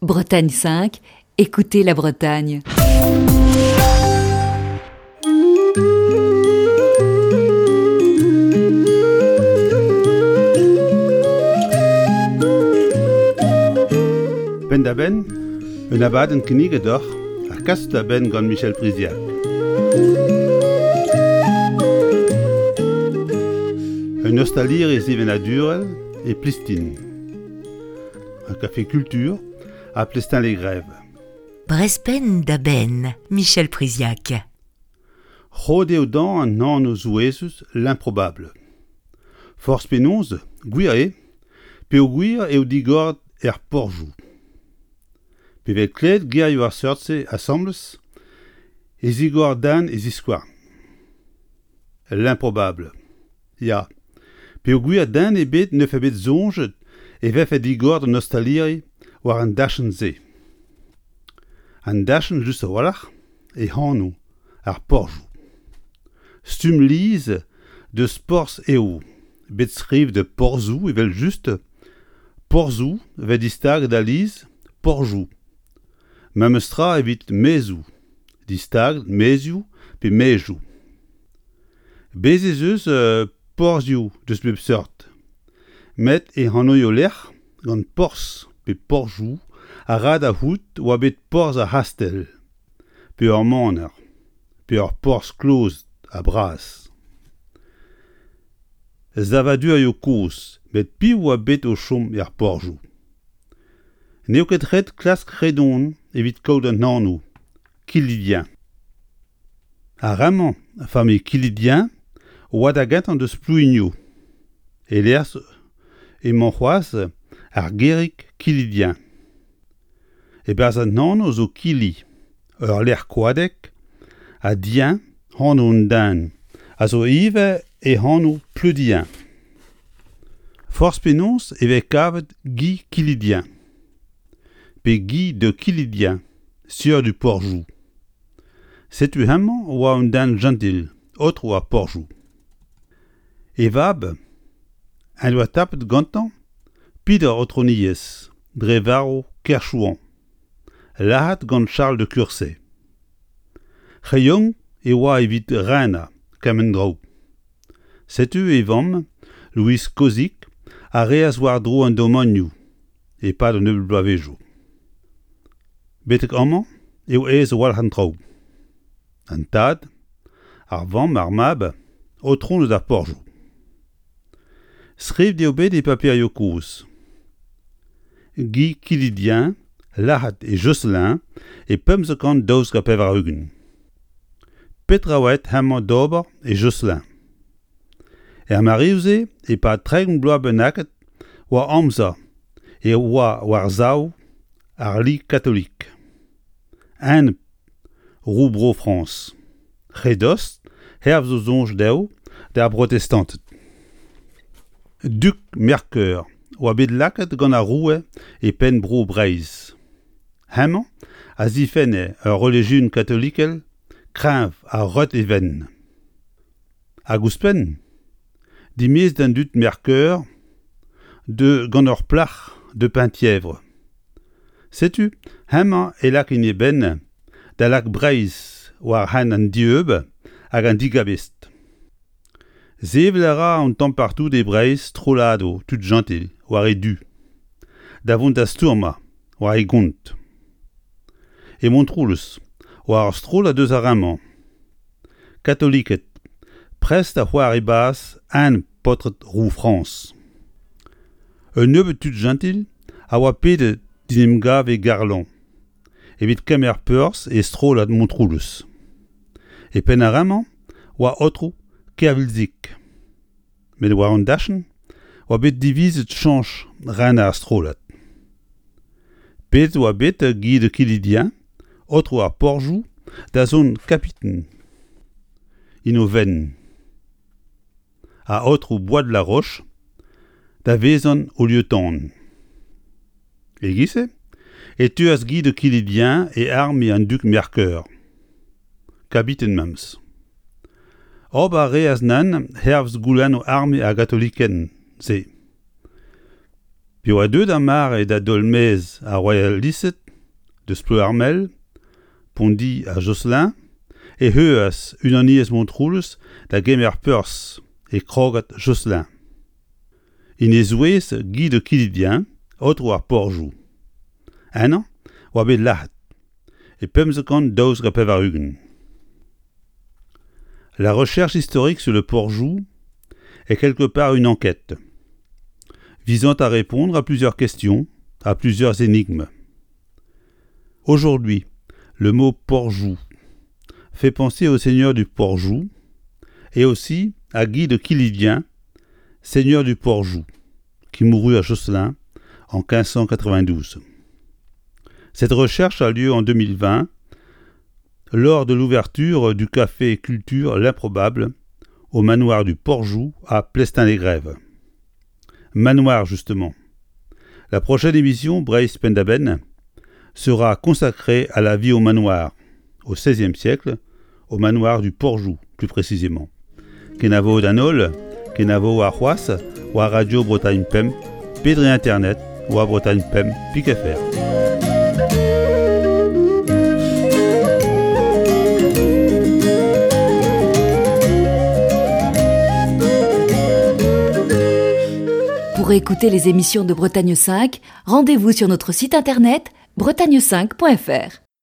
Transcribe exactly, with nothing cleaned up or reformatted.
Bretagne cinq, écoutez la Bretagne. Penn-da-benn, un abadenn kinniget deoc'h ha kaset da benn gant Michel Priziac. Un ostaliri sevenadurel e Plistin. Un café culture à Plestin-les-Grèves. Brezh Penn-da-Benn, Michel Priziac. Roet eo dañ an anv souezhus L'improbable. Forzh penaos, gwir eo, peogwir eo digoret er porzhioù. Pe vez klevet gerioù ar seurt-se asambles e zigor den e ziskouarn. L'improbable. Ya, peogwir den ebet ne fe bet soñjet e vefe digoret an ostaliri war an dachenn-se. An dachenn just a-walc'h e anv ar porzhioù. Stumm lies deus porzh eo, bet skrivet de porzhoù evel-just, porzhoù vez distaget alies porzhoù. Memes tra evit maezoù, distaget maezioù pe maezioù. Bez' ez eus porzhioù deus bep seurt, met e anvioù-lec'h gant porzh pe porzhioù a ra da c'hoût oa bet porzh ar c'hastell, pe ur maner, pe ur porzh kloz ha bras. Savadurioù kozh, met piv oa bet o chom er porzhioù? N'eo ket ret klask re don evit kaout an anv Quillidien. Ar re-mañ, familh Quillidien, oa da gentañ deus Plouigno. E-lec'h emañ c'hoazh ar gêrig Quillidien. E-barzh an anv zo Kili, ur lec'h koadek, ha Dien, anv un den, a zo ivez e anv Pleudien. Forzh penaos e vez kavet Guy Quillidien. Pe Guy de Quillidien, sieur du Porzhoù. Setu hemañ oa un den jentil, aotrou ar Porzhoù. E vab, en doa tapet gantañ peder aotrouniezh dre varv Kerchouan, lazhet gant Charles de Cursay. Re yaouank e oa evit renañ kement draoù. Setu e vamm, Louise Cozic, a reas war-dro an domanioù e-pad un nebeud bloavezhioù. Betek amañ eo aes a-walc'h an traoù. An tad, ar vamm, ar mab, aotroned ar porzhioù. Skrivet eo bet e paperioù kozh. Guy Quillidien, lazhet e Josselin e pemzek kant daouzek ha pevar-ugent. Petra oa aet hemañ d'ober e Josselin? Er mareoù-se, e-pad tregont bloaz bennaket, oa amzer e oa war-sav ar li katolik. Enep roue Bro-Frañs. Re dost, hervez o soñj dezho, d'ar brotestanted. Dug Mercœur oa bet lakaet gant ar roue e penn Bro Breizh. Hemañ a zifenne ur relijion katolikel kreñv ha reut e vent. Hag ouzhpenn, dimezet an dud Mercœur de gant ur plac'h de Penthièvre. Setu hemañ e lak en e benn da lak Breizh war hent an dieub hag an digabestr. Sevel a ra an tamm partout e Breizh strolladoù tud jentil war e du, da vont da stourmañ war e gont. E Montroulez war ur strollad eus ar re-mañ. Katoliked, prest da c'hoari bazh enep paotred roue Frañs. Un nebeud tud jentil a oa pedet d'en em gav e Garlan, evit kemer perzh e strollad Montroulez. E penn ar re-mañ oa aotrou Kervilzig. Met war an dachenn oa bet divizet chañch rener ar strollad. Pedet oa bet Guy de Quillidien, aotrou ar Porzhoù, da zont kapiten en o fenn. Ha aotrou Bois de la Roche da vezañ o lieutenant. E-giz-se e teuas Guy de Quillidien e arme an dug Mercœur. Kabiten memes. Ober a reas nann hervez goulennoù arme ar gatoliken-se. Pi oa deuet ar mare da dolmez ar royalisted deus Pleuarmel, Pondi ha Josselin, e heuas unaniez Montroulez da gemer perzh e krogad Josselin. En e zouez Guy de Quillidien, aotrou ar Porjou. Ennañ oa bet lazhet e pemzek kant daouzek ha pevar-ugent. La recherche historique sur le Porjou est quelque part une enquête visant à répondre à plusieurs questions, à plusieurs énigmes. Aujourd'hui, le mot Porjou fait penser au seigneur du Porjou et aussi à Guy de Quillidien, seigneur du Porjou, qui mourut à Josselin en quinze cent quatre-vingt-douze. Cette recherche a lieu en deux mille vingt lors de l'ouverture du café Culture L'Improbable au manoir du Porjou à Plestin-les-Grèves. Manoir, justement. La prochaine émission, Breizh Penn-da-Benn, sera consacrée à la vie au manoir, au seizième siècle, au manoir du Porjou, plus précisément. Kenavo d'an holl, kenavo ar c'hoazh, war Radio Bretagne Pemp, pe dre Internet, war Bretagne Pemp, pik F R. Pour écouter les émissions de Bretagne cinq, rendez-vous sur notre site internet bretagne cinq point F R.